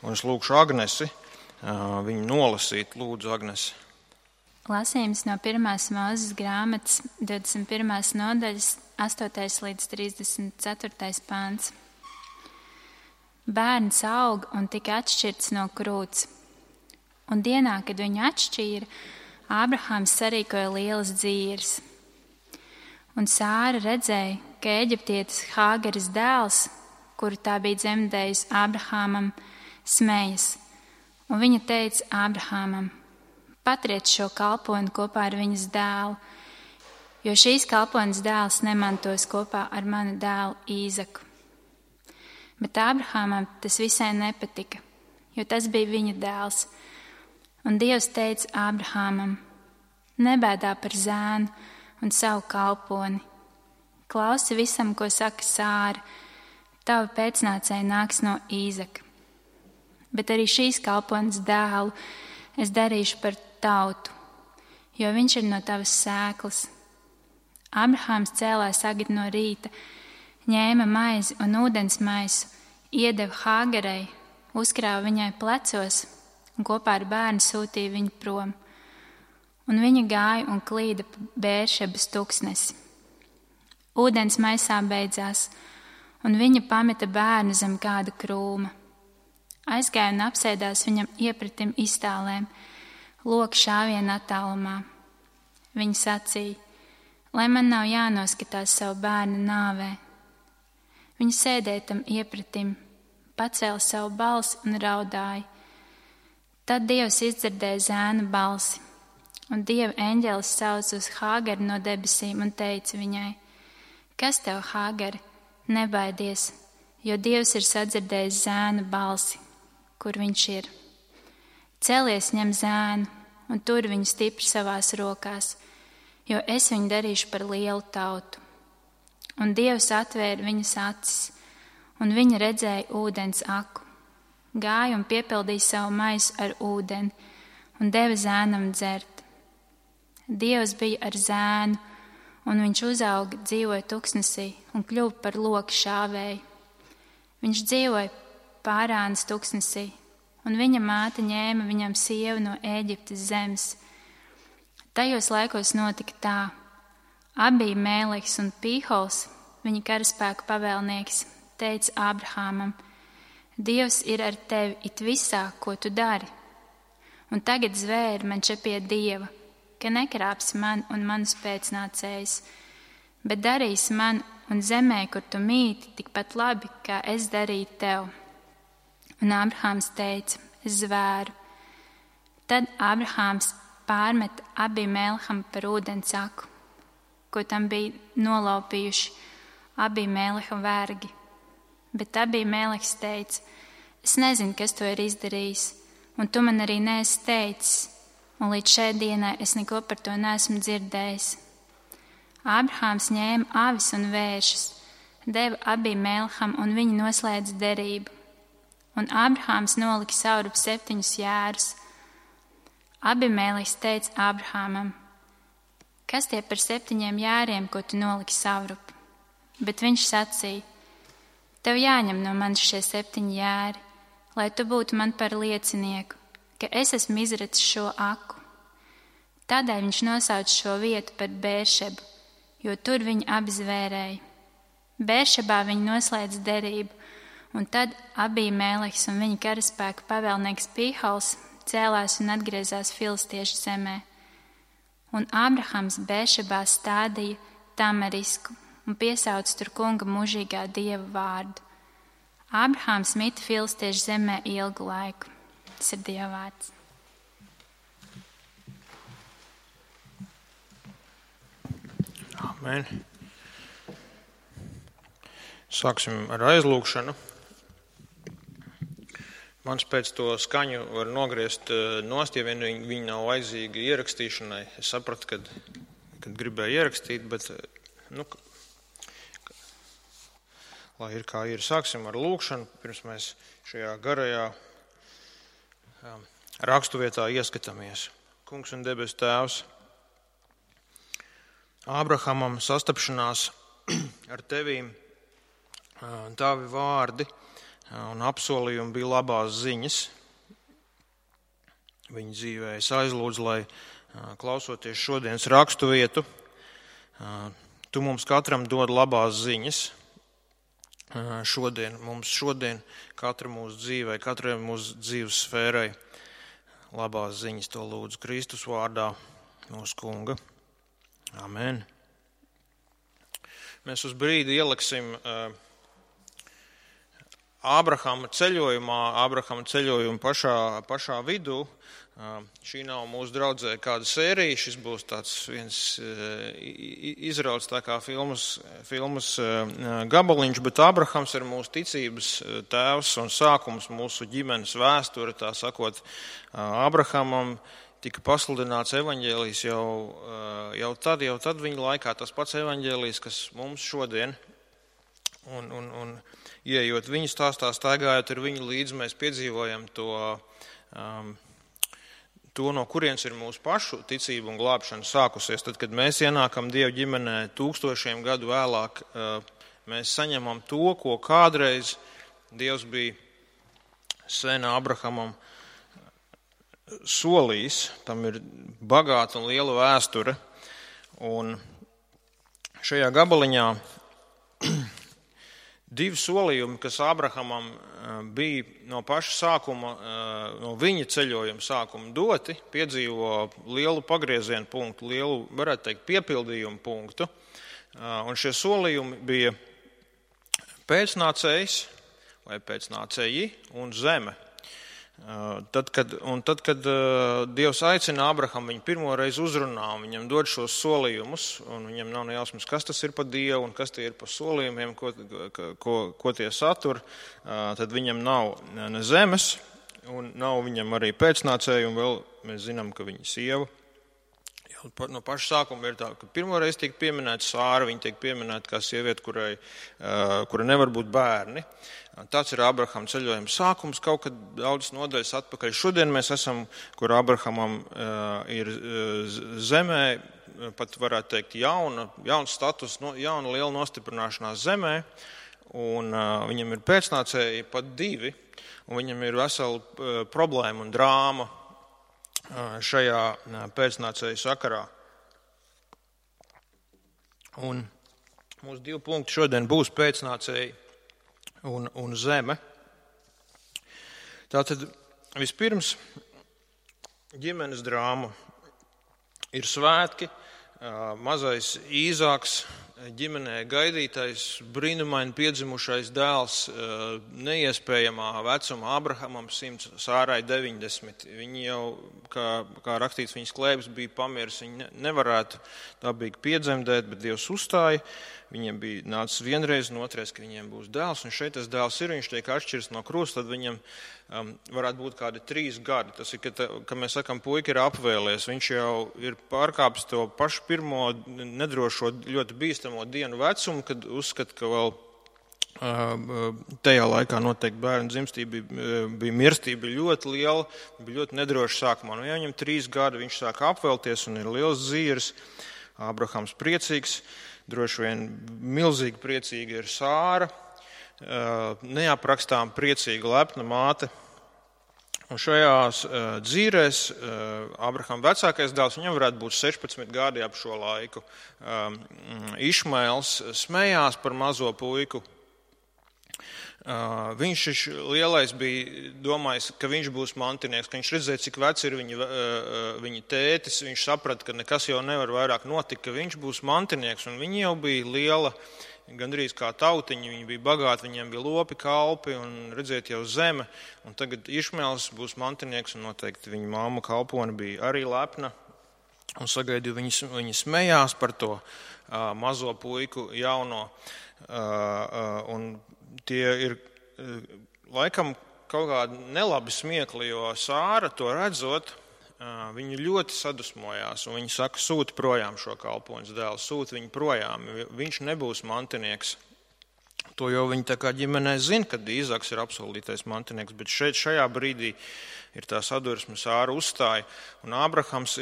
Un es lūkšu Agnesi viņu nolasīt. Lūdzu, Agnesi. Lasījums no 1. Mūzes grāmatas 21. nodaļas 8. līdz 34. pāns. Bērns aug un tika atšķirts no krūts. Un dienā, kad viņu atšķīra, Ābrahāms sarīkoja lielas dzīves. Un Sāra redzēja, ka eģiptietis Hāgaras dēls, kuru tā bija dzemdējusi Ābrahāmam, smejas. Un viņa teica Ābrahāmam: patriec šo kalponi kopā ar viņas dēlu, jo šīs kalpones dēls nemantos kopā ar manu dēlu Īzaku. Bet Ābrahāmam tas visai nepatika, jo tas bija viņa dēls. Un Dievs teica Ābrahāmam: nebēdā par zēnu un savu kalponi. Klausi visam, ko saka Sāra, tava pēcnācēja nāks no Īzaka. Bet arī šīs kalpones dēlu es darīšu par tautu, jo viņš ir no tavas sēklas. Ābrahāms cēlās agri no rīta, ņēma maizi un ūdens maisu, iedeva Hāgarai, uzkrāva viņai plecos un kopā ar bērnu sūtīja viņu prom. Un viņa gāja un klīda pa Bēršebas tuksnesi. Ūdens maisā beidzās, un viņa pameta bērnu zem kāda krūma. Aizgāja un apsēdās viņam iepratim iztālēm, loka šāviena attālumā. Viņa sacīja: lai man nav jānoskatās savu bērnu nāvē. Viņa sēdēja tam iepratim, pacēla savu balsi un raudāja. Tad Dievs izdzirdēja zēna balsi, un Dieva eņģelis sauca uz Hāgaru no debesīm un teica viņai: kas tev, Hāgari, nebaidies, jo Dievs ir sadzirdējis zēna balsi, kur viņš ir. Celies, ņem zēnu un tur viņu stipri savās rokās, jo es viņu darīšu par lielu tautu. Un Dievs atvēra viņas acis, un viņa redzēja ūdens aku. Gāja un piepildīja savu maisu ar ūdeni un deva zēnam dzert. Dievs bija ar zēnu, un viņš uzauga, dzīvoja tuksnesī un kļuva par loka šāvēju. Viņš dzīvoja Pārānas tuksnesī, un viņa māte ņēma viņam sievu no Ēģiptes zemes. Tajos laikos notika tā: Abīmeleks un Pīhols, viņa karaspēku pavēlnieks, teica Ābrahāmam: Dievs ir ar tevi it visā, ko tu dari. Un tagad zvēri man še pie Dieva, ka nekrāpsi man un manus pēcnācējus, bet darīsi man un zemē, kur tu mīti, tikpat labi, kā es darīju tev. Un Ābrahāms teica: es zvēru. Tad Ābrahāms pārmeta Abīmelekam par ūdens aku, ko tam bija nolaupījuši Abīmeleka vergi. Bet Abīmeleks teica: es nezinu, kas to ir izdarījis, un tu man arī neesi teicis, un līdz šai dienai es neko par to neesmu dzirdējis. Ābrahāms ņēma avis un vēršus, deva Abīmelekam, un viņi noslēdza derību. Un Ābrahāms nolika saurup 7 jērus. Abīmeleks teica Ābrahāmam: kas tie par 7 jēriem, ko tu noliki saurup? Bet viņš sacīja: tev jāņem no manis šie 7 jēri, lai tu būtu man par liecinieku, ka es esmu izracis šo aku. Tādēļ viņš nosauca šo vietu par Bēršebu, jo tur viņi abi zvērēja. Bēršebā viņi noslēdza derību, un tad Abīmeleks un viņa karaspēka pavēlnieks Pīhols cēlās un atgriezās filistiešu zemē. Un Ābrahams Bēršebā stādīja tamarisku un piesauca tur kunga mūžīgā Dieva vārdu. Ābrahāms mita filistiešu zemē ilgu laiku. Tas ir Dieva vārds. Amen. Sāksim ar aizlūgšanu. Mans pēc to skaņu var nogriezt nost, ja vien viņi nav vajadzīgi ierakstīšanai. Es sapratu, kad gribēju ierakstīt, bet, lai ir kā ir. Sāksim ar lūgšanu, pirms mēs šajā garajā rakstuvietā ieskatāmies. Kungs un debes Tēvs, Ābrahamam sastapšanās ar tevīm, tavi vārdi un apsolījumi bija labās ziņas viņa dzīvē. Es aizlūdzu, lai klausoties šodienas rakstu vietu, tu mums katram dod labās ziņas. Mums šodien, katra mūsu dzīvē, katrai mūsu dzīves sfērai labās ziņas, to lūdzu Kristus vārdā, mūsu Kunga. Amen. Mēs uz brīdi ieliksim Ābrahama ceļojumu pašā vidū. Šī nav mūsu draudzē kāda sērija, šis būs tāds viens izrauts tā kā filmas gabaliņš, bet Ābrahams ir mūsu ticības tēvs un sākums mūsu ģimenes vēsture, tā sakot. Ābrahamam tika pasludināts evaņģēlijs jau tad viņa laikā, tas pats evaņģēlijs, kas mums šodien, un ieejot viņu stāstā, staigājot ar viņu līdzi, mēs piedzīvojam to, no kurienes ir mūsu pašu ticība un glābšana sākusies. Tad, kad mēs ienākam Dieva ģimenē tūkstošiem gadu vēlāk, mēs saņemam to, ko kādreiz Dievs bija sen Ābrahamam solījis. Tam ir bagāta un liela vēsture. Un šajā gabaliņā divi solījumi, kas Ābrahamam bija no paša sākuma, no viņa ceļojuma sākuma doti, piedzīvo lielu pagriezienu punktu, lielu, varētu teikt, piepildījumu punktu. Un šie solījumi bija pēcnācējs vai pēcnācēji un zeme. Tad, kad Dievs aicina Ābrahamu, viņu pirmoreiz uzrunā, viņam dod šos solījumus, un viņam nav nejausmas, kas tas ir par Dievu un kas tie ir par solījumiem, ko tie satur, tad viņam nav ne zemes, un nav viņam arī pēcnācēju, un vēl mēs zinām, ka viņa sieva. No paša sākuma ir tā, ka pirmoreiz tiek pieminēta Sāra, viņa tiek pieminēta kā sieviete, kura nevar būt bērni. Tāds ir Ābrahama ceļojuma sākums, kaut kad daudz nodaļas atpakaļ. Šodien mēs esam, kur Ābrahamam ir zemē, pat varētu teikt jauns status, jauna liela nostiprināšanās zemē, un viņam ir pēcnācēji pat divi, un viņam ir vesela problēma un drāma šajā pēcnācēju sakarā. Un mūsu 2 punkti šodien būs pēcnācēji un zeme. Tātad vispirms ģimenes drāma ir svētki, mazais Īzāks, ģimenē gaidītais, brīnumaini piedzimušais dēls, neiespējamā vecuma Ābrahamam 100, Sārai 90. Viņi jau, kā rakstīts, viņas klēpes bija pamiris, viņi nevarētu dabīgi piedzemdēt, bet Dievs uzstāja. Viņiem bija nācis vienreiz un otrais, ka viņiem būs dēls, un šeit tas dēls ir, viņš tiek atšķirs no krusta, tad viņam varētu būt kādi 3 gadi. Tas ir, ka mēs sakam, puika ir apvēlies, viņš jau ir pārkāpis to pašu pirmo nedrošo, ļoti bīstamo dienu vecumu, kad uzskata, ka vēl tajā laikā noteikti bērnu dzimstība bija mirstība ļoti liela, bija ļoti nedroši sākumā. Nu, ja viņam 3 gadi, viņš sāk apvēlties un ir liels zīrs, Ābrahams priecīgs. Droši vien milzīgi priecīga ir Sāra, neaprakstām priecīga lepna māte. Un šajās dzīrēs Ābrahama vecākais dēls, viņam varētu būt 16 gadi ap šo laiku. Išmaels smējās par mazo puiku. Viņš lielais bija domājis, ka viņš būs mantinieks, ka viņš redzēja, cik vecs ir viņa tētis, viņš saprata, ka nekas jau nevar vairāk notikt, ka viņš būs mantinieks, un viņi jau bija liela, gandrīz kā tautiņi, viņi bija bagāti, viņiem bija lopi, kalpi, un redzēt jau zeme, un tagad Išmaels būs mantinieks, un noteikti viņa mamma kalpone bija arī lepna, un sagaidīja, viņi smējās par to mazo puiku jauno, un tie ir laikam kaut kādi nelabi smiekli, jo Sāra to redzot, viņa ļoti sadusmojās, un viņa saka, sūti projām šo kalpoņas dēlu, sūti viņu projām, viņš nebūs mantinieks. To jau viņi tā kā ģimenē zina, kad Īzaks ir apsolītais mantinieks, bet šajā brīdī ir tā sadursme, Sāra uzstāja, un Ābrahams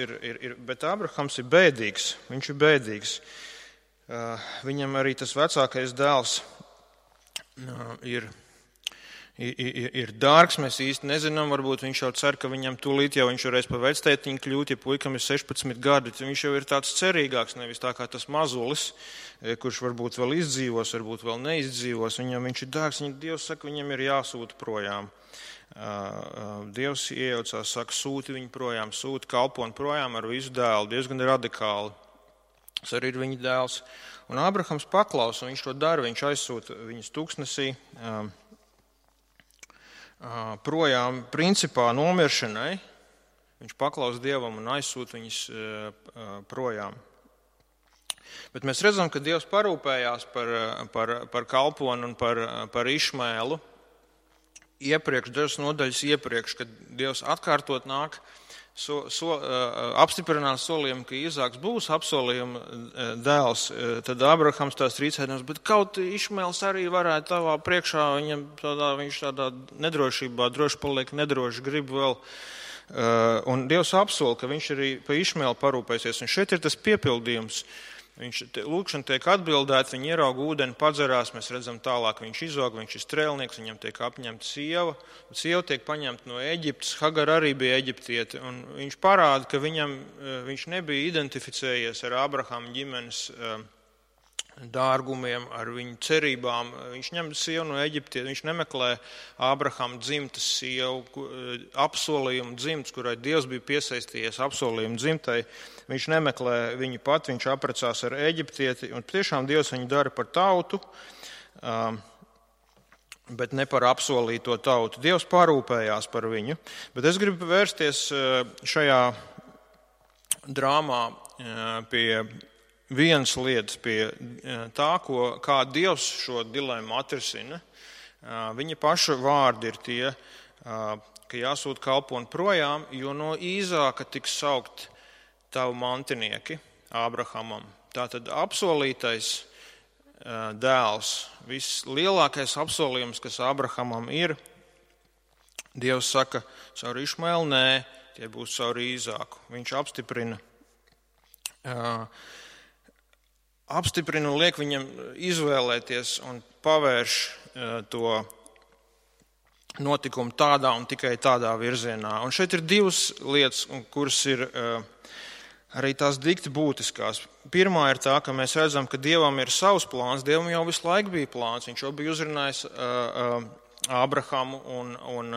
bet Ābrahams ir bēdīgs, viņš ir bēdīgs. Viņam arī tas vecākais dēls ir ir dārgs, mēs īsti nezinām, varbūt viņš jau cer, ka viņam tūlīt jau viņš varēs pa vectētiņu kļūt, ja puikam ir 16 gadi, viņš jau ir tāds cerīgāks, nevis tā kā tas mazulis, kurš varbūt vēl izdzīvos, varbūt vēl neizdzīvos, viņam viņš ir dārgs, Dievs saka, viņam ir jāsūta projām. Dievs iejaucās, saka, sūti viņu projām, sūti kalponi projām ar visu dēlu, diezgan radikāli. Tas arī ir viņa dēls. Un Ābrahams paklausa, un viņš to dara, viņš aizsūta viņus tūkstnesī projām principā nomiršanai. Viņš paklausa Dievam un aizsūta viņus projām. Bet mēs redzam, ka Dievs parūpējās par kalponu un par Išmēlu. Dažas nodaļas iepriekš, kad Dievs atkārtot nāk, apstiprinās solījumu, ka Īzāks būs apsolījuma dēls, tad Ābrahams tās rīcēdams, bet kaut Išmēls arī varētu tavā priekšā, viņš tādā nedrošībā, droši paliek nedroši, grib vēl. Un Dievs apsola, ka viņš arī pa Išmēlu parūpēsies. Un šeit ir tas piepildījums. Lūkšana tiek atbildēta, viņi ierauga ūdeni, padzerās, mēs redzam tālāk, viņš izog, viņš ir strēlnieks, viņam tiek apņemta sieva. Sieva tiek paņemta no Eģiptes, Hagar arī bija eģiptiete, un viņš parāda, ka viņš nebija identificējies ar Ābrahama ģimenes dārgumiem, ar viņu cerībām. Viņš ņem sievu no Eģiptes, viņš nemeklē Ābrahama dzimtas sievu, apsolījumu dzimtas, kurai Dievs bija piesaistījies apsolījumu dzimtai. Viņš nemeklē viņu pat, viņš apprecās ar Eģiptieti, un tiešām Dievs viņu dara par tautu, bet ne par apsolīto tautu. Dievs parūpējās par viņu, bet es gribu vērsties šajā drāmā pie vienas lietas, pie tā, kā Dievs šo dilemmu atrisina. Viņa paša vārdi ir tie, ka jāsūt kalponi projām, jo no Īzāka tiks saukt tavu mantinieki Ābrahamam. Tātad apsolītais dēls, vislielākais apsolījums, kas Ābrahamam ir, Dievs saka, caur Išmēlu nē, tie būs caur Īzāku. Viņš apstiprina un liek viņam izvēlēties un pavērš to notikumu tādā un tikai tādā virzienā. Un šeit ir divas lietas, kuras ir arī tās dikti būtiskās. Pirmā ir tā, ka mēs redzam, ka Dievam ir savs plāns, Dievam jau visu laiku bija plāns, viņš jau bija uzrunājis Ābrahamu, un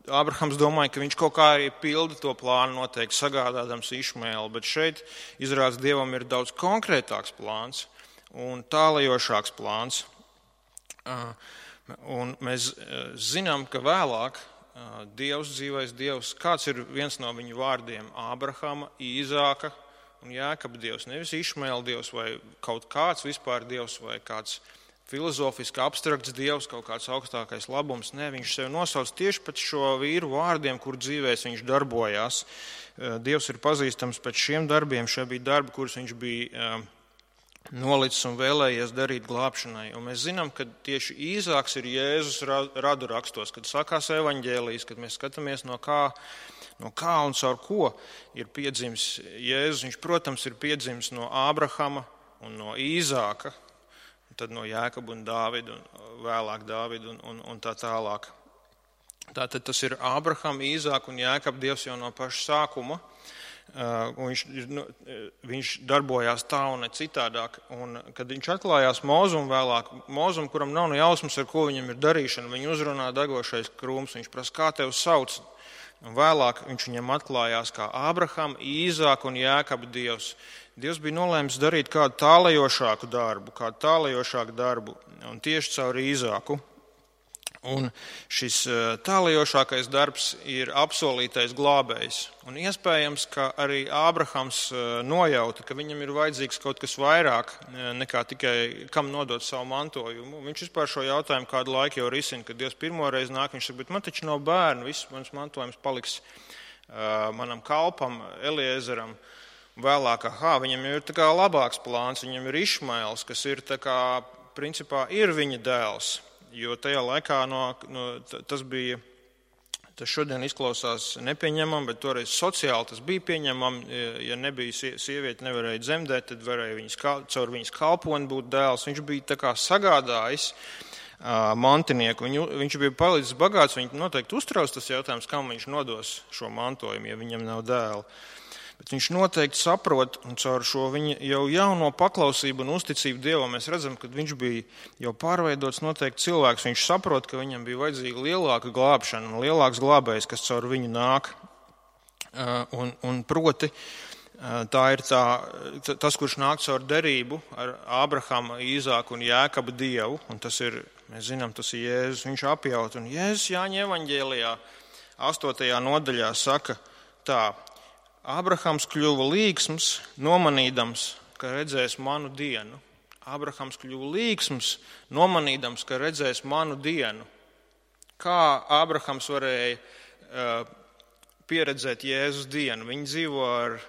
Ābrahams domāja, ka viņš kaut kā arī pilda to plānu noteikti sagādādams Išmēlu, bet šeit izrādās Dievam ir daudz konkrētāks plāns un tālajošāks plāns. Un mēs zinām, ka vēlāk Dievs, dzīvais Dievs, kāds ir viens no viņu vārdiem? Ābrahama, Īzāka un Jākaba Dievs, nevis Išmēla Dievs vai kaut kāds vispār Dievs vai kāds filozofiski abstrakts Dievs, kaut kāds augstākais labums. Nē, viņš sevi nosauc tieši pēc šo vīru vārdiem, kur dzīvēs viņš darbojās. Dievs ir pazīstams pēc šiem darbiem. Šie bija darbi, kurus viņš bija nolicis un vēlējies darīt glābšanai. Un mēs zinām, ka tieši Īzāks ir Jēzus radu rakstos, kad sākās evaņģēlijas, kad mēs skatāmies no kā un caur ko ir piedzimis Jēzus. Viņš, protams, ir piedzimis no Ābrahama un no Īzāka, tad no Jākaba un Dāvida, un vēlāk Dāvida un tā tālāk. Tātad tas ir Ābrahama, Īzāka un Jākaba Dievs jau no paša sākuma. Viņš darbojās tā un ne citādāk. Un, kad viņš atklājās Mozum vēlāk, Mozum, kuram nav ne jausmas, ar ko viņam ir darīšana, viņu uzrunā degošais krūms, viņš prasa, kā tev sauc? Un vēlāk viņš viņam atklājās kā Ābrahama, Īzāka un Jākaba Dievs. Dievs bija nolēmis darīt kādu tālajošāku darbu, un tieši caur Īzāku. Un šis tālajošākais darbs ir apsolītais glābējs. Un iespējams, ka arī Ābrahams nojauta, ka viņam ir vajadzīgs kaut kas vairāk nekā tikai kam nodot savu mantojumu. Viņš vispār šo jautājumu kādu laiku jau risina, kad Dievs pirmoreiz nāk, viņš saka, bet man taču nav bērnu, viss mans mantojums paliks manam kalpam, Eliezeram. Vēlāk, viņam jau ir tā kā labāks plāns, viņam ir Išmaels, kas ir tā kā, principā, ir viņa dēls. Jo tajā laikā tas šodien izklausās nepieņemam, bet toreiz sociāli tas bija pieņemam. Ja nebija sieviete, nevarēja dzemdēt, tad varēja caur viņas kalponi būt dēls. Viņš bija tā kā sagādājis mantinieku. Viņš bija palicis bagāts, viņi noteikti uztrauc tas jautājums, kam viņš nodos šo mantojumu, ja viņam nav dēla. Bet viņš noteikti saprot, un caur šo viņa jau jauno paklausību un uzticību Dievam mēs redzam, ka viņš bija jau pārveidots noteikti cilvēks. Viņš saprot, ka viņam bija vajadzīga lielāka glābšana un lielāks glābējs, kas caur viņu nāk. Un proti, tā ir tas, kurš nāk caur derību ar Ābrahama, Īzāku un Jēkabu Dievu. Un tas ir, mēs zinām, tas ir Jēzus. Viņš apjaut. Un Jēzus Jāņa evaņģēlijā 8. nodaļā saka tā: Ābrahams kļuva līgsms, nomanīdams, ka redzēs manu dienu. Ābrahams kļuva līgsms, nomanīdams, ka redzēs manu dienu. Kā Ābrahams varēja pieredzēt Jēzus dienu? Viņi dzīvo ar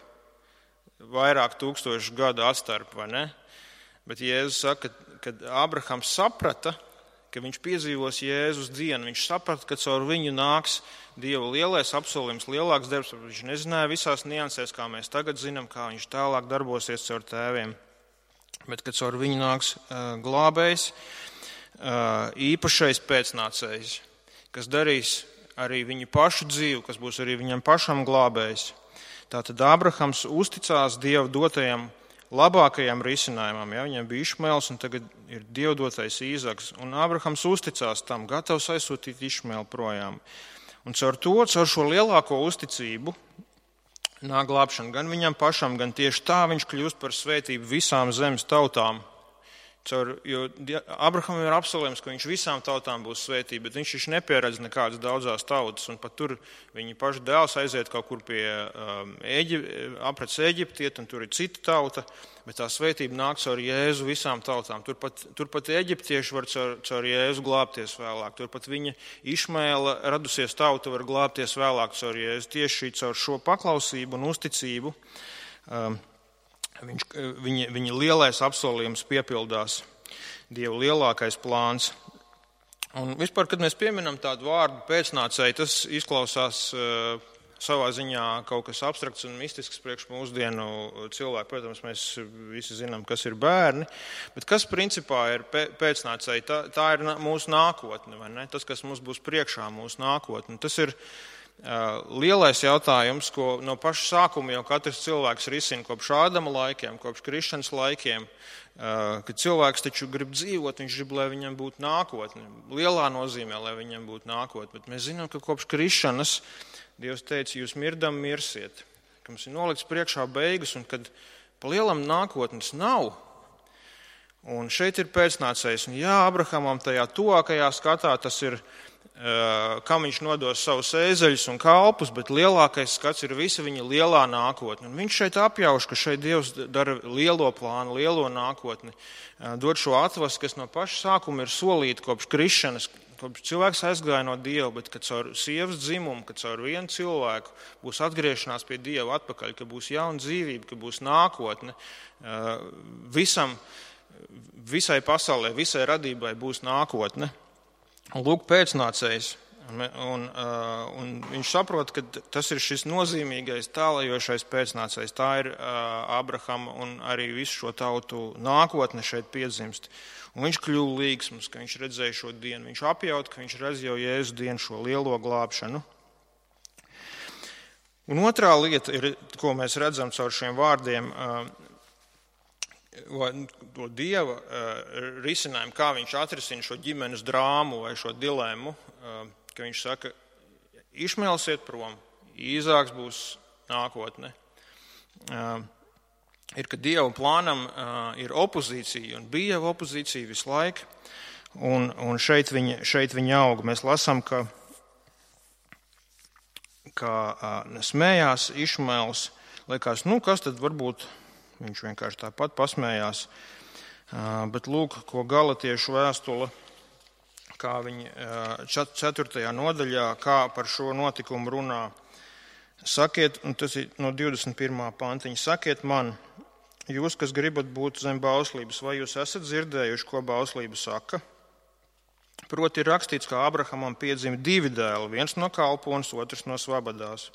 vairāk tūkstošu gadu atstarpu, vai ne? Bet Jēzus saka, kad Ābrahams saprata, ka viņš piedzīvos Jēzus dienu, viņš saprata, ka caur viņu nāks Dieva lielais apsolījums, lielāks darbs. Viņš nezināja visās niansēs, kā mēs tagad zinām, kā viņš tālāk darbosies caur tēviem. Bet, kad caur viņu nāks glābējs, īpašais pēcnācējs, kas darīs arī viņu pašu dzīvi, kas būs arī viņam pašam glābējs. Tātad Ābrahams uzticās Dieva dotajam labākajam risinājumam. Ja? Viņam bija Išmaels un tagad ir Dieva dotais Īzaks. Un Ābrahams uzticās tam, gatavs aizsūtīt Išmaelu projām. Un caur šo lielāko uzticību nāk glābšana gan viņam pašam, gan tieši tā viņš kļūst par svētību visām zemes tautām. Jo Ābrahamam ir apsolījums, ka viņš visām tautām būs svētība, bet viņš nepieredz nekādas daudzās tautas. Un pat tur viņa paša dēls aiziet kaut kur pie aprec Eģiptiet, un tur ir cita tauta, bet tā svētība nāk caur Jēzu visām tautām. Turpat eģiptieši var caur Jēzu glābties vēlāk. Turpat viņa Išmaela radusies tauta var glābties vēlāk caur Jēzu. Tieši caur šo paklausību un uzticību viņa lielais apsolījums piepildās, Dieva lielākais plāns. Un vispār, kad mēs pieminam tādu vārdu pēcnācēji, tas izklausās savā ziņā kaut kas abstrakts un mistisks priekš mūsdienu cilvēku. Protams, mēs visi zinām, kas ir bērni, bet kas principā ir pēcnācēji? Tā ir mūsu nākotne, vai ne? Tas, kas mums būs priekšā, mūsu nākotne. Tas ir lielais jautājums, ko no paša sākuma jau katrs cilvēks risina kopš Ādama laikiem, kopš krišanas laikiem, kad cilvēks taču grib dzīvot, viņš grib, lai viņam būtu nākotne. Lielā nozīmē, lai viņam būtu nākotne, bet mēs zinām, ka kopš krišanas Dievs teica, jūs mirdam mirsiet, ka mums ir nolikts priekšā beigas un kad pa lielam nākotnes nav. Un šeit ir pēcnācējs. Un jā, Abrahamam tajā tuvākajā skatā tas ir, kam viņš nodos savus ēzeļus un kalpus, bet lielākais skats ir visa viņa lielā nākotne. Un viņš šeit apjauš, ka šeit Dievs dara lielo plānu, lielo nākotni, dod šo atvasu, kas no paša sākuma ir solīta kopš krišanas, kopš cilvēks aizgāja no Dieva, bet kad caur sievas dzimumu, kad caur vienu cilvēku būs atgriešanās pie Dieva atpakaļ, ka būs jauna dzīvība, ka būs nākotne, visai pasaulē, visai radībai būs nākotne. Un lūk, pēcnācējs, un viņš saprot, ka tas ir šis nozīmīgais, tālajošais pēcnācējs. Tā ir Ābrahama un arī visu šo tautu nākotne šeit piedzimst. Un viņš kļuva līgsms, ka viņš redzēja šo dienu. Viņš apjaut, ka viņš redz jau Jēzus dienu, šo lielo glābšanu. Un otrā lieta, ir, ko mēs redzam caur šiem vārdiem, to Dieva risinājumu, kā viņš atrisina šo ģimenes drāmu vai šo dilemmu, ka viņš saka, Išmaels iet prom, Īzāks būs nākotne. Ir, ka Dieva plānam ir opozīcija, un bija jau opozīcija visu laiku, un šeit viņa aug. Mēs lasām, ka smējās Išmaels, liekas, kas tad varbūt viņš vienkārši tāpat pasmējās. Bet lūk, ko Galatiešu vēstule, kā viņa 4. nodaļā, kā par šo notikumu runā. Sakiet, un tas ir no 21. pantiņa, sakiet man, jūs, kas gribat būt zem bauslības, vai jūs esat dzirdējuši, ko bauslība saka? Proti ir rakstīts, ka Ābrahamam piedzima 2 dēli, viens no kalpones, otrs no svabadās.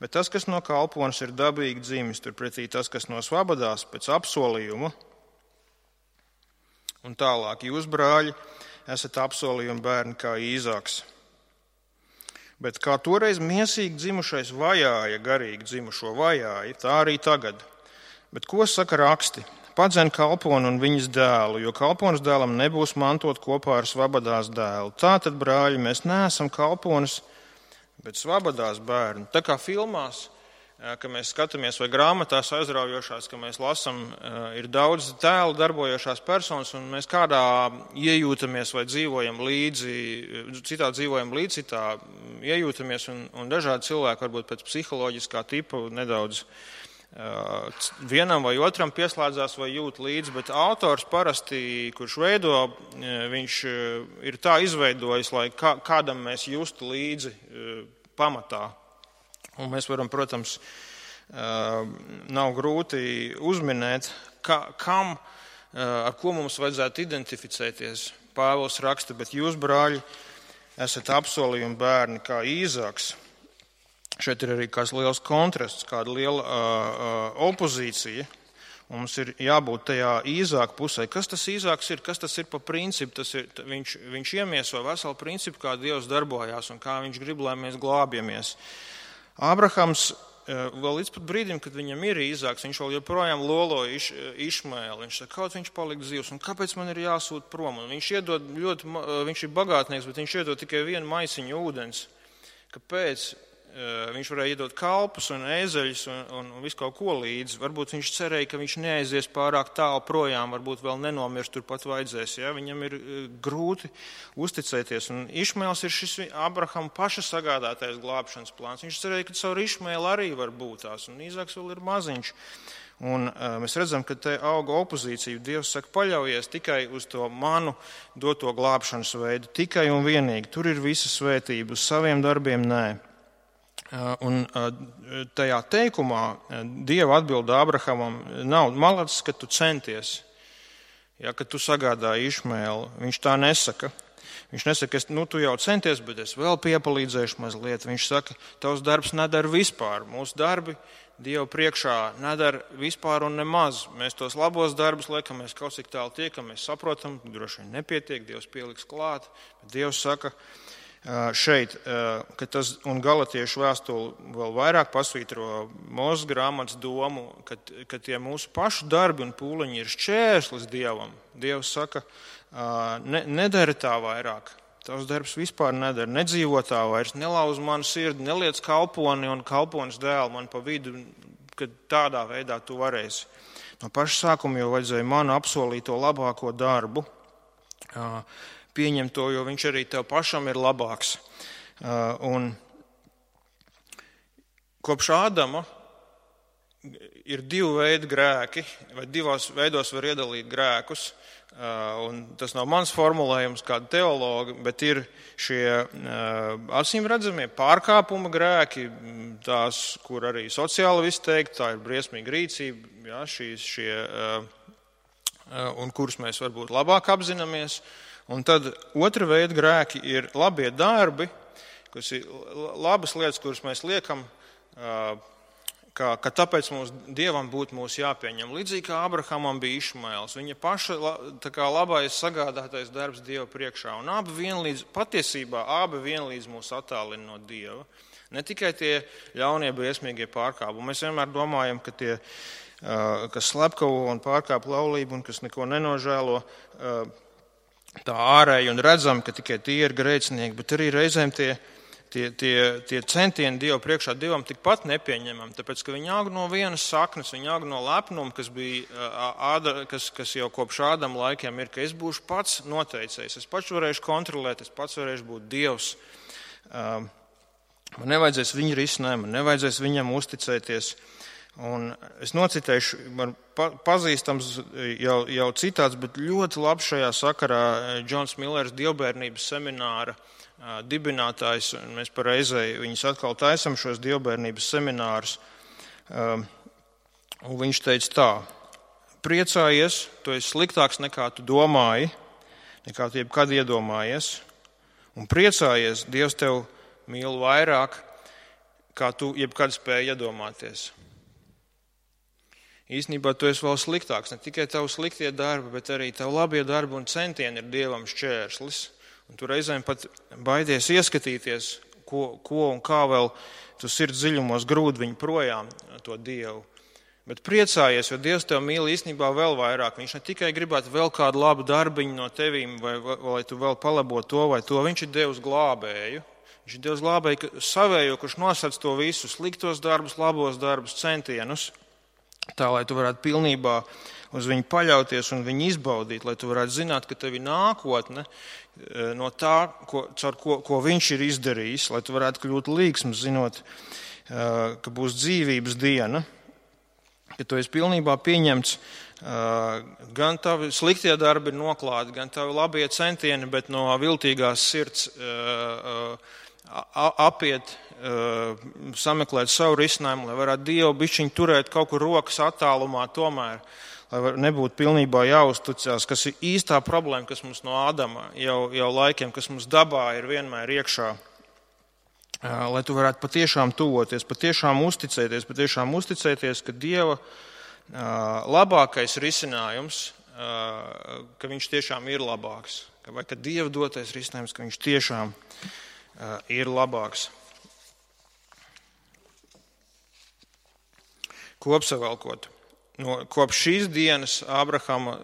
Bet tas, kas no kalpones ir dabīgi dzimis, turpretī tas, kas no svabadās pēc apsolījuma. Un tālāk, jūs, brāļi, esat apsolījuma bērni kā Īzāks. Bet kā toreiz miesīgi dzimušais vajāja, garīgi dzimušo vajāja, tā arī tagad. Bet ko saka raksti? Padzen kalponu un viņas dēlu, jo kalponas dēlam nebūs mantot kopā ar svabadās dēlu. Tātad, brāļi, mēs neesam kalponas, bet svabadās bērni. Tā kā filmās, ka mēs skatāmies vai grāmatās aizraujošās, ka mēs lasam, ir daudz tēlu darbojošās personas, un mēs kādā iejūtamies vai dzīvojam līdzi, citā iejūtamies, un dažādi cilvēki varbūt pēc psiholoģiskā tipa nedaudz vienam vai otram pieslēdzās vai jūt līdzi, bet autors parasti, kurš veido, viņš ir tā izveidojis, lai kādam mēs justu līdzi pamatā. Un mēs varam, protams, nav grūti uzminēt, ar ko mums vajadzētu identificēties. Pāvils raksta, bet jūs, brāļi, esat apsolījuma bērni kā Īzāks. Šeit ir arī kāds liels kontrasts, kāda liela opozīcija. Mums ir jābūt tajā Īzāka pusē. Kas tas Īzāks ir? Kas tas ir pa principu? Viņš iemieso veselu principu, kā Dievs darbojās un kā viņš grib, lai mēs glābjamies. Ābrahams vēl līdz pat brīdim, kad viņam ir Īzāks, viņš vēl joprojām loloja Išmaelu. Viņš saka, kaut viņš palika dzīvs, un kāpēc man ir jāsūt prom? Un viņš ir bagātnieks, bet viņš iedod tikai vienu maisiņu ūdens. Kāpēc? Viņš varēja iedot kalpus un ēzeļus un visu kaut ko līdzi. Varbūt viņš cerēja, ka viņš neaizies pārāk tālu projām, varbūt vēl nenomirs, turpat vajadzēs. Ja? Viņam ir grūti uzticēties. Un Išmaels ir šis Abrahama paša sagādātais glābšanas plāns. Viņš cerēja, ka caur Išmaelu arī var būt tās, un Īzāks vēl ir maziņš. Un mēs redzam, ka te auga opozīcija. Dievs saka, paļaujies tikai uz to manu doto glābšanas veidu, tikai un vienīgi. Tur ir visa svētība, uz saviem darbiem nē. Un tajā teikumā Dieva atbilde Abrahamam nav malacis, ka tu centies, ja, ka tu sagādāji Išmaelu. Viņš tā nesaka. Viņš nesaka, tu jau centies, bet es vēl piepalīdzēšu mazliet. Viņš saka, tavs darbs nedara vispār. Mūsu darbi Dieva priekšā nedara vispār un nemaz. Mēs tos labos darbus liekam, mēs kaut cik tālu tiekam, mēs saprotam, droši vien nepietiek, Dievs pieliks klāt. Bet Dievs saka, šeit, ka tas un Galatiešu vēstuli vēl vairāk pasvītro Mūzes grāmatas domu, ka tie mūsu pašu darbi un pūliņi ir šķērslis Dievam. Dievs saka, nedara tā vairāk. Tavs darbs vispār nedara, nedzīvo tā vairs, nelauz manu sirdi, neliec kalponi un kalponas dēlu man pa vidu, kad tādā veidā tu varēsi. No paša sākuma jau vajadzēja man apsolīt to labāko darbu, pieņem to, jo viņš arī tev pašam ir labāks. Un kopš Ādama ir divu veidu grēki, vai divos veidos var iedalīt grēkus. Un tas nav mans formulējums kāda teologa, bet ir šie acīm redzamie pārkāpuma grēki, tās, kur arī sociāli viss teikt, tā ir briesmīga rīcība, ja, un kurus mēs varbūt labāk apzināmies. Un tad otra veida grēki ir labie darbi, kas ir labas lietas, kuras mēs liekam, ka tāpēc Dievam būtu mūs jāpieņem. Līdzīgi kā Abrahamam bija Išmaels, viņa paša labais sagādātais darbs Dieva priekšā. Un patiesībā abi vienlīdz mūs attālina no Dieva. Ne tikai tie ļaunie briesmīgie pārkāpumi. Mēs vienmēr domājam, ka tie, kas slepkavo un pārkāp laulību un kas neko nenožēlo, tā ārēji un redzam, ka tikai tie ir grēcinieki, bet arī reizēm tie centieni Dievu priekšā Dievam tikpat nepieņemami, tāpēc, ka viņi aug no vienas saknes, viņi aug no lepnuma, kas jau kopš Ādama laikiem ir, ka es būšu pats noteicējis, es pats varēšu kontrolēt, es pats varēšu būt Dievs. Man nevajadzēs viņa risinājumu, man nevajadzēs viņam uzticēties. Un es nocitēšu, man pazīstams jau citāts, bet ļoti labs šajā sakarā Džons Millers dievbērnības semināra dibinātājs. Mēs par reizei viņus atkal taisam šos dievbērnības seminārus. Un viņš teica tā, priecājies, tu esi sliktāks nekā tu domāji, nekā tu jebkad iedomājies. Un priecājies, Dievs tev mīl vairāk, kā tu jebkad spēji iedomāties. īstenībā tu esi vēl sliktāks. Ne tikai tavu sliktie darbi, bet arī tavu labie darbi un centieni ir Dievam šķērslis. Un tu reizēm pat baidies ieskatīties, ko un kā vēl tu sirds dziļumos grūd viņu projām to Dievu. Bet priecājies, jo Dievs tev mīl īstenībā vēl vairāk. Viņš ne tikai gribētu vēl kādu labu darbiņu no tevīm, vai tu vēl palabotu to vai to. Viņš ir Dievs glābēju. Viņš ir Dievs glābēju savējo, kurš nosac to visu, sliktos darbus, labos darbus, centienus, tā, lai tu varētu pilnībā uz viņu paļauties un viņu izbaudīt, lai tu varētu zināt, ka tev ir nākotne no tā, ko viņš ir izdarījis, lai tu varētu kļūt līgsms, zinot, ka būs dzīvības diena, ka tu esi pilnībā pieņemts, gan tavi sliktie darbi ir noklāti, gan tavi labie centieni, bet no viltīgās sirds apiet, sameklēt savu risinājumu, lai varētu Dievu bišķiņu turēt kaut kur rokas attālumā tomēr, lai nebūtu pilnībā jāuzticās, kas ir īstā problēma, kas mums no Ādama jau laikiem, kas mums dabā ir vienmēr iekšā. Lai tu varētu patiešām tuvoties, patiešām uzticēties, ka Dieva labākais risinājums, ka viņš tiešām ir labāks, vai ka Dieva dotais risinājums, ka viņš tiešām ir labāks. Kopsavilkot. Kopš šīs dienas Ābrahama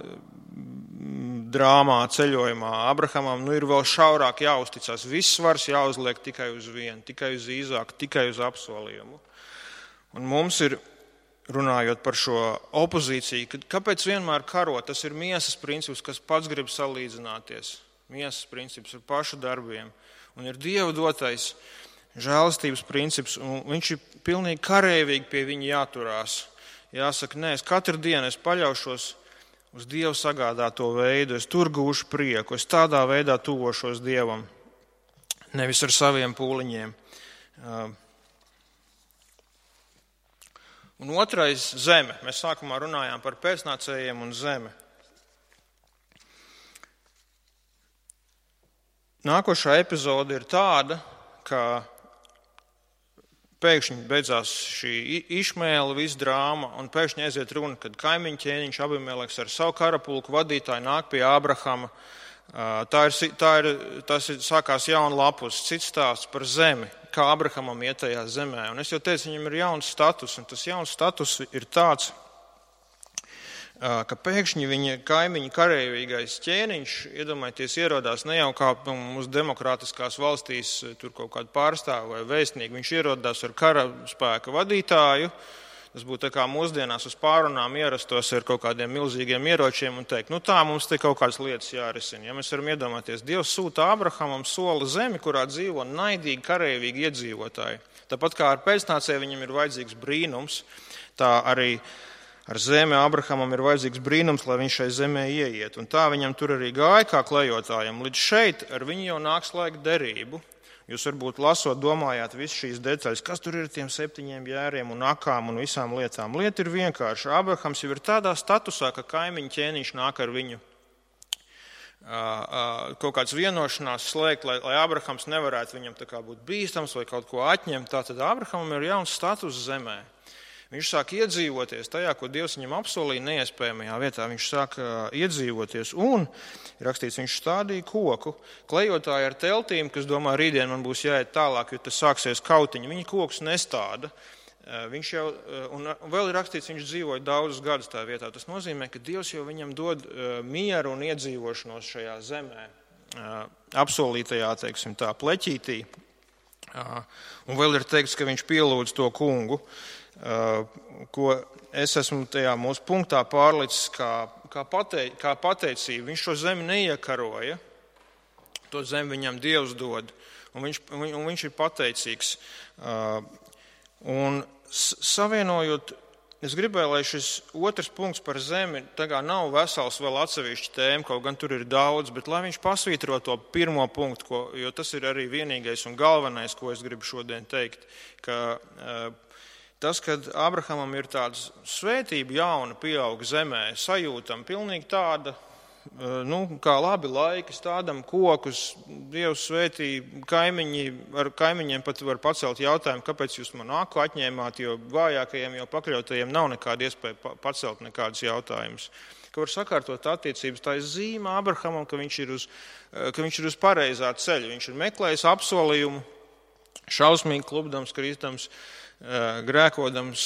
drāmā, ceļojumā, Abrahamam ir vēl šaurāk jāuzticās. Viss svars jāuzliek tikai uz vienu, tikai uz Īzāku, tikai uz apsolījumu. Un mums ir, runājot par šo opozīciju, kāpēc vienmēr karot? Tas ir miesas princips, kas pats grib salīdzināties. Miesas princips ar pašu darbiem. Un ir Dieva dotais žēlastības princips, un viņš ir pilnīgi karēvīgi pie viņa jāturās. Jāsaka, nē, es katru dienu paļaušos uz Dievu sagādāto veidu, es tur gūšu prieku, es tādā veidā tuvošos Dievam, nevis ar saviem pūliņiem. Un otrais - zeme. Mēs sākumā runājām par pēcnācējiem un zemi. Nākošā epizode ir tāda, ka pēkšņi beidzās šī Išmēla visa drāma, un pēkšņi aiziet runa, kad kaimiņu ķēniņš Abimeleks ar savu karapulku vadītāju nāk pie Ābrahama. Tas sākās jauna lapus, cits stāsts par zemi, kā Ābrahamam iet tajā zemē. Un es jau teicu, viņam ir jauns status, un tas jauns status ir tāds, ka pēkšņi viņa kaimiņa kareivīgais ķēniņš, iedomājieties, ierodās ne jau kā mūsu demokrātiskās valstīs tur kaut kādu pārstāvu vai vēstnieku, viņš ierodās ar karaspēka vadītāju. Tas būtu tā kā mūsdienās uz pārunām ierastos ar kaut kādiem milzīgiem ieročiem un teikt, tā mums te kaut kādas lietas jārisina. Ja mēs varam iedomāties, Dievs sūta Ābrahamam sola zemi, kurā dzīvo naidīgi, kareivīgi iedzīvotāji. Tāpat kā ar pēcnācēju viņam ir vajadzīgs brīnums, tā arī ar zemi Ābrahamam ir vajadzīgs brīnums, lai viņš šai zemē ieiet. Un tā viņam tur arī gāja kā klejotājam. Līdz šeit ar viņu jau nāk slēgt derību. Jūs varbūt lasot, domājāt visu šīs detaļas, kas tur ir tiem 7 jēriem un akām un visām lietām. Lieta ir vienkārša. Ābrahams jau ir tādā statusā, ka kaimiņu ķēniņš nāk ar viņu kaut kāds vienošanās slēgt, lai Ābrahams nevarētu viņam tā kā būt bīstams vai kaut ko atņemt. Tātad Ābrahamam ir jauns status zemē. Viņš sāk iedzīvoties tajā, ko Dievs viņam apsolīja neiespējamajā vietā. Viņš sāk iedzīvoties un, rakstīts, viņš stādīja koku. Klejotāji ar teltīm, kas domā, rītdien man būs jāiet tālāk, jo tas sāksies kautiņi. Viņi kokus nestāda. Viņš jau, un vēl ir rakstīts, viņš dzīvoja daudzus gadus tā vietā. Tas nozīmē, ka Dievs jau viņam dod mieru un iedzīvošanos šajā zemē. Apsolītajā, teiksim tā, pleķītī. Un vēl ir teikts, ka viņš pielūdz to kungu, ko es esmu tajā mūsu punktā pārlicis kā pateicību. Viņš šo zemi neiekaroja, to zemi viņam Dievs dod, un viņš ir pateicīgs. Un savienojot, es gribēju, lai šis otrs punkts par zemi tagad nav vesels vēl atsevišķi tēma, kaut gan tur ir daudz, bet lai viņš pasvītro to pirmo punktu, jo tas ir arī vienīgais un galvenais, ko es gribu šodien teikt, ka tas, kad Ābrahamam ir tāda svētība jauna pieauga zemē, sajūtam pilnīgi tāda kā labi laiki, stādam kokus, Dievs svētī, ar kaimiņiem pat var pacelt jautājumu, kāpēc jūs man aku atņēmāt, jo vājākajiem, jo pakļautajiem nav nekāda iespēja pacelt nekādus jautājumus. Ka var sakārtot attiecības, tā ir zīme Ābrahamam, ka viņš ir uz pareizā ceļa, viņš ir meklējis apsolījumu, šausmīgi klupdams, kristams, grēkodams,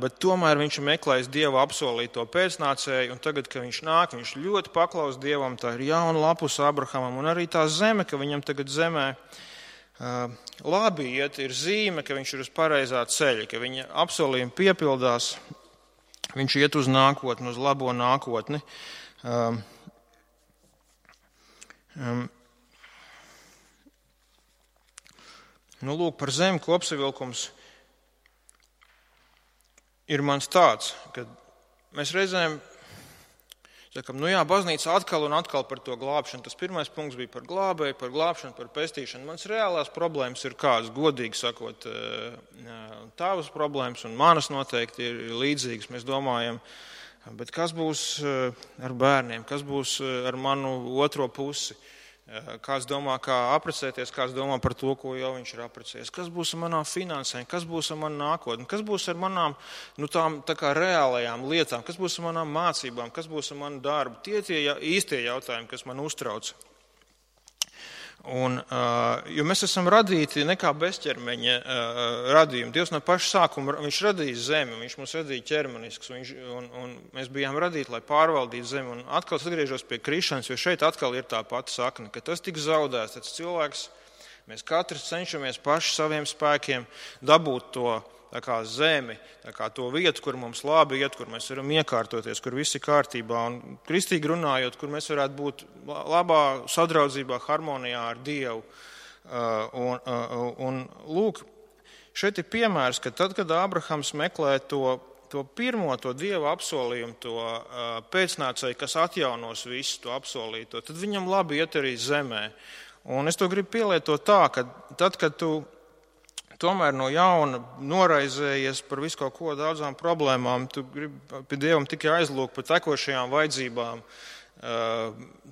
bet tomēr viņš ir meklējis Dieva apsolīto pēcnācēju, un tagad, kad viņš nāk, viņš ļoti paklaus Dievam, tā ir jauna lapus Ābrahamam, un arī tā zeme, ka viņam tagad zemē labi iet, ir zīme, ka viņš ir uz pareizā ceļa, ka viņa apsolījumi piepildās, viņš iet uz nākotni, uz labo nākotni. Lūk, par zemi kopsavilkums ir mans tāds, ka mēs reizēm sakam, baznīca atkal un atkal par to glābšanu. Tas pirmais punkts bija par glābēju, par glābšanu, par pestīšanu. Mans reālās problēmas ir kādas, godīgi sakot, tavas problēmas un manas noteikti ir līdzīgas, mēs domājam, bet kas būs ar bērniem, kas būs ar manu otro pusi? Kāds domā, kā apprecēties, kāds domā par to, ko jau viņš ir apprecējies. Kas būs ar manām finansēm, kas būs ar manu nākotni, kas būs ar manām tām tā kā reālajām lietām, kas būs ar manām mācībām, kas būs ar manu darbu. Tie īstie jautājumi, kas man uztrauc. Jo mēs esam radīti nekā bezķermeņa radījumi. Dievs no paša sākuma, viņš radīja zemi, viņš mums radīja ķermenisks, un mēs bijām radīti, lai pārvaldītu zemi. Un atkal atgriežos pie krišanas, jo šeit atkal ir tā pati sakne, ka tas tiks zaudēts, tas cilvēks, mēs katrs cenšamies paši saviem spēkiem dabūt to tā kā zemi, tā kā to vietu, kur mums labi iet, kur mēs varam iekārtoties, kur viss ir kārtībā. Un kristīgi runājot, kur mēs varētu būt labā sadraudzībā, harmonijā ar Dievu. Un lūk, šeit ir piemērs, ka tad, kad Ābrahams meklē to pirmo, to Dieva apsolījumu, to pēcnācēju, kas atjaunos visu to apsolīto, tad viņam labi iet arī zemē. Un es to gribu pielietot tā, ka tad, kad tu tomēr no jauna noraizējies par visu kaut ko daudzām problēmām, tu gribi pie Dievam tikai aizlūgt par tekošajām vajadzībām,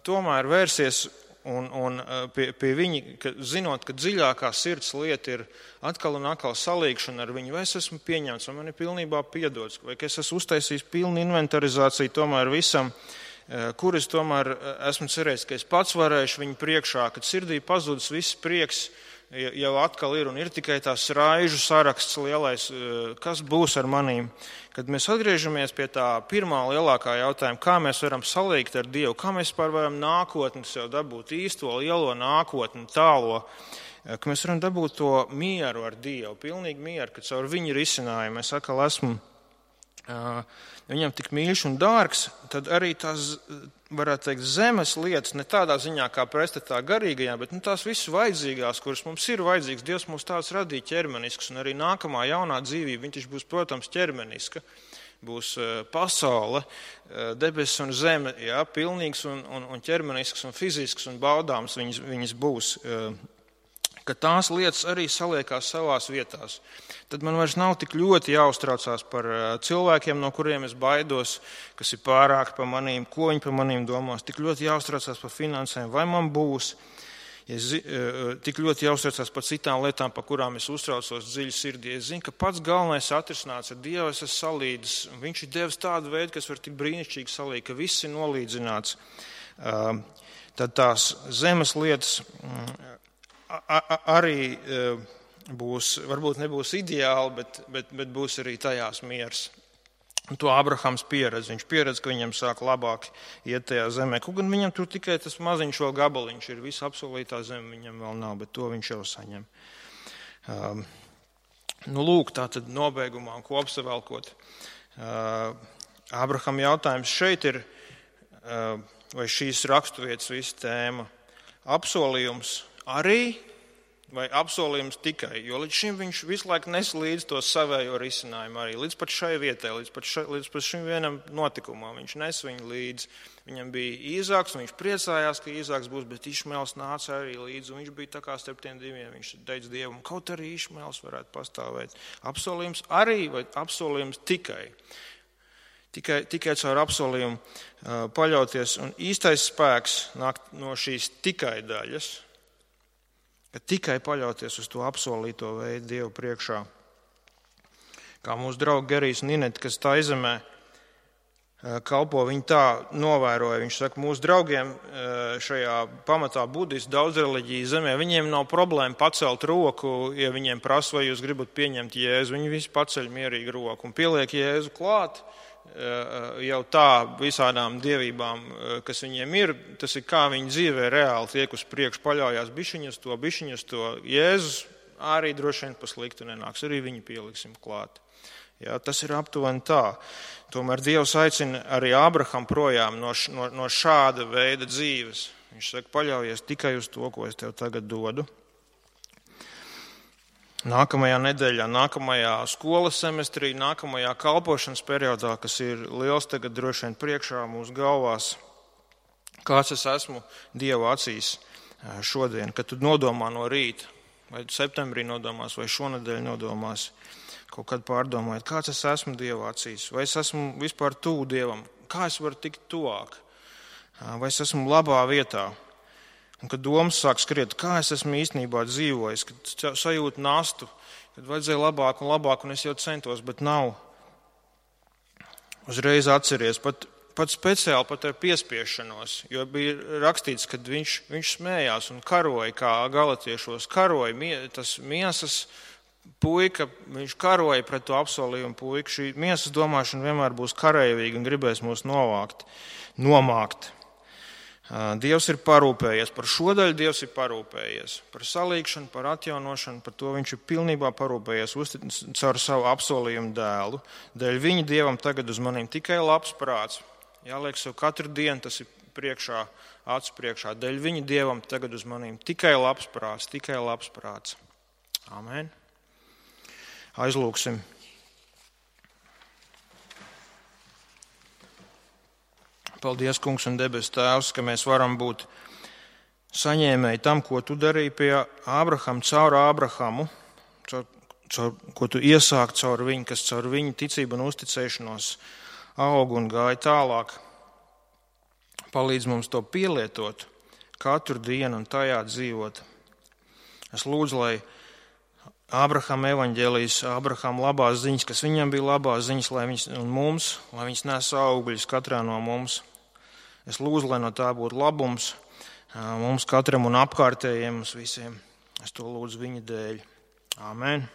tomēr vērsies un pie viņa, zinot, ka dziļākā sirds lieta ir atkal un atkal salīgšana ar viņu, vai es esmu pieņemts, vai man ir pilnībā piedots, vai es esmu uztaisījis pilnu inventarizāciju tomēr visam, kur es tomēr esmu cerējis, ka es pats varēšu viņu priekšā, kad sirdī pazudis viss prieks, jau atkal ir un ir tikai tās raižu saraksts lielais, kas būs ar manīm. Kad mēs atgriežamies pie tā pirmā lielākā jautājuma, kā mēs varam salīgt ar Dievu, kā mēs varam nākotni sev dabūt īsto lielo nākotni, tālo, ka mēs varam dabūt to mieru ar Dievu, pilnīgi mieru, ka caur viņu risinājumu es atkal esmu viņam tik mīļš un dārgs, tad arī tās, varētu teikt, zemes lietas, ne tādā ziņā kā pretstatā garīgajā, bet tās visas vajadzīgās, kuras mums ir vajadzīgas, Dievs mums tās radīja ķermenisks, un arī nākamā jaunā dzīvība, viņš būs, protams, ķermeniska, būs pasaule, debesis un zeme, jā, pilnīgs un ķermenisks un fizisks un baudāms viņas būs, ka tās lietas arī saliekās savās vietās. Tad man vairs nav tik ļoti jāuztraucās par cilvēkiem, no kuriem es baidos, kas ir pārāk par manīm, ko viņi par manīm domās. Tik ļoti jāuztraucās par finansēm, vai man būs. Tik ļoti jāuztraucās par citām lietām, par kurām es uztraucos dziļi sirdī. Es zinu, ka pats galvenais atrisināts ar Dievu es esmu salīdzis. Viņš ir devis tādu veidu, kas var tik brīnišķīgi salīgt, ka viss ir nolīdzināts. Tad tās zemes lietas arī būs, varbūt nebūs ideāli, bet būs arī tajās miers. Un to Ābrahams pieredz. Viņš pieredz, ka viņam sāk labāk iet tajā zemē. Kaut gan viņam tur tikai tas maziņš vēl gabaliņš ir. Visa apsolītā zeme viņam vēl nav, bet to viņš jau saņem. Lūk, tā tad nobeigumā un kopsavelkot. Ābraham jautājums šeit ir, vai šīs raksturvietas visa tēma apsolījums arī vai apsolījums tikai, jo līdz šim viņš visu laiku nes līdz to savējo risinājumu arī, līdz pat šai vietai, līdz pat šim vienam notikumam, viņš nes viņu līdz. Viņam bija Īzāks, un viņš priecājās, ka Īzāks būs, bet Išmaels nāca arī līdzi, un viņš bija tā kā starp tiem diviem, viņš teica Dievam, kaut arī Išmaels varētu pastāvēt. Apsolījums arī vai apsolījums tikai? Tikai caur apsolījumu paļauties. Un īstais spēks nāk no šīs tikai daļas, ka tikai paļauties uz to apsolīto veidu Dievu priekšā. Kā mūsu draugi Gerijs un Inete, kas tā izemē kalpo, viņi tā novēroja. Viņš saka, mūsu draugiem šajā pamatā budistu daudz reliģiju zemē, viņiem nav problēma pacelt roku, ja viņiem prasa, vai jūs gribat pieņemt Jēzu. Viņi visi paceļ mierīgi roku un pieliek Jēzu klāt. Jau tā visādām dievībām, kas viņiem ir, tas ir kā viņi dzīvē reāli tiek uz priekšu, paļaujās bišķiņus to. Jēzus arī droši vien pa sliktu nenāks, arī viņu pieliksim klāt. Jā, tas ir aptuveni tā. Tomēr Dievs aicina arī Ābrahamu projām no šāda veida dzīves. Viņš saka, paļaujies tikai uz to, ko es tev tagad dodu. Nākamajā nedēļā, nākamajā skolas semestrī, nākamajā kalpošanas periodā, kas ir liels tagad droši vien priekšā mūsu galvās, kāds es esmu Dieva acīs šodien, kad tu nodomā no rīta, vai septembrī nodomās, vai šonedēļ nodomās, kaut kad pārdomājot, kāds es esmu Dieva acīs, vai es esmu vispār tuvu Dievam, kā es varu tikt tuvāk, vai es esmu labā vietā. Un kad domas sāk skriet, kā es esmu īstenībā dzīvojis, kad sajūtu nastu, kad vajadzēja labāk, un es jau centos, bet nav. Uzreiz atceries, pat speciāli pat ar piespiešanos, jo bija rakstīts, kad viņš smējās un karoja, kā galatiešos karoja, tas miesas puika, viņš karoja pret to apsolījumu puiku. Šī miesas domāšana vienmēr būs kareivīga un gribēs mūs nomākt. Dievs ir parūpējies, par šo daļu Dievs ir parūpējies, par salīgšanu, par atjaunošanu, par to viņš ir pilnībā parūpējies caur savu apsolījumu dēlu. Dēļ viņa Dievam tagad uz maniem tikai labs prāts. Jāliek sev katru dienu, tas ir priekšā, acu priekšā. Dēļ viņa Dievam tagad uz maniem tikai labs prāts. Amen. Aizlūksim. Paldies, Kungs un debes Tēvs, ka mēs varam būt saņēmēji tam, ko tu darīji pie Ābrahama, caur Ābrahamu, ko tu iesāki caur viņu, kas caur viņu ticību un uzticēšanos aug un gāja tālāk. Palīdz mums to pielietot katru dienu un tajā dzīvot. Es lūdzu, lai Ābrahama evaņģēlijas, Ābrahama labās ziņas, kas viņam bija labās ziņas, lai viņas nes augļus katrā no mums. Es lūdzu, lai no tā būtu labums mums katram un apkārtējiem mums visiem. Es to lūdzu viņa dēļ. Āmen.